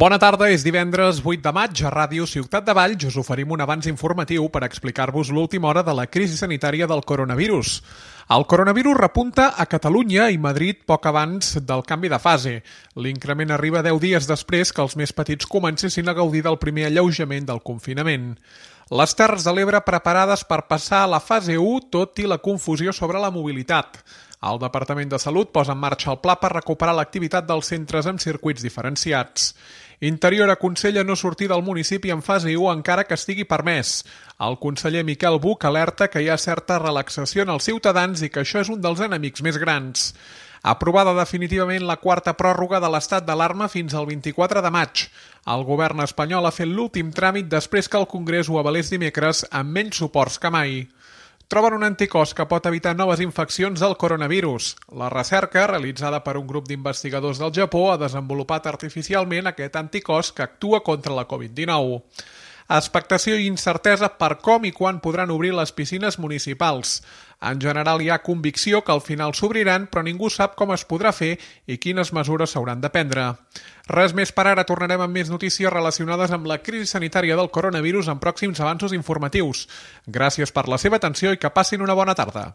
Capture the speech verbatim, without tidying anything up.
Bona tarda, és divendres vuit de maig. A Ràdio Ciutat de Valls us oferim un avanç informatiu per explicar-vos l'última hora de la crisi sanitària del coronavirus. El coronavirus repunta a Catalunya i Madrid poc abans del canvi de fase. L'increment arriba deu dies després que els més petits comencessin a gaudir del primer alleujament del confinament. Les Terres de l'Ebre preparades per passar a la fase u, tot i la confusió sobre la mobilitat. El Departament de Salut posa en marxa el pla per recuperar l'activitat dels centres amb circuits diferenciats. Interior aconsella no sortir del municipi en fase u encara que estigui permès. El conseller Miquel Buch alerta que hi ha certa relaxació en els ciutadans i que això és un dels enemics més grans. Aprovada definitivament la quarta pròrroga de l'estat d'alarma fins al vint-i-quatre de maig. El govern espanyol ha fet l'últim tràmit després que el Congrés ho avalés dimecres amb menys suports que mai. Troben un anticòs que pot evitar noves infeccions del coronavirus. La recerca, realitzada per un grup d'investigadors del Japó, ha desenvolupat artificialment aquest anticòs que actua contra la covid dinou. Expectació i incertesa per com i quan podran obrir les piscines municipals. En general hi ha convicció que al final s'obriran, però ningú sap com es podrà fer i quines mesures s'hauran de prendre. Res més per ara, tornarem amb més notícies relacionades amb la crisi sanitària del coronavirus en pròxims avanços informatius. Gràcies per la seva atenció i que passin una bona tarda.